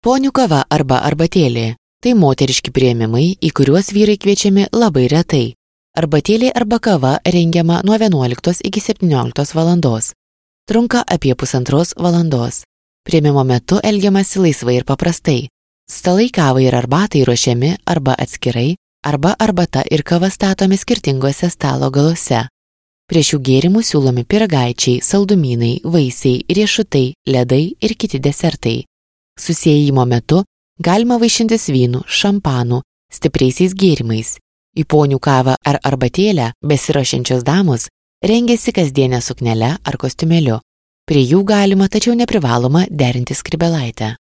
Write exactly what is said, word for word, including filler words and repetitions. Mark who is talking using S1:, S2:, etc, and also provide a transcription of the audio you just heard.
S1: Ponių kava arba arbatėlė – tai moteriški priėmimai, į kuriuos vyrai kviečiami labai retai. Arbatėlė arba kava rengiama nuo vienuoliktos iki septynioliktos valandos. Trunka apie pusantros valandos. Priėmimo metu elgiamasi laisvai ir paprastai. Stalai kavai ir arbatai ruošiami arba atskirai, arba arbata ir kava statomi skirtingose stalo galuose. Prie šių gėrimų siūlomi pyragaičiai, saldumynai, vaisiai, riešutai, ledai ir kiti desertai. Susiejimo metu galima vaišintis vynu, šampanu, stipriaisiais gėrimais. Į ponių kavą ar arbatėlę besiruošiančios damos rengiasi kasdienę suknelę ar kostiumėliu. Prie jų galima, tačiau neprivaloma derinti skrybėlaitę.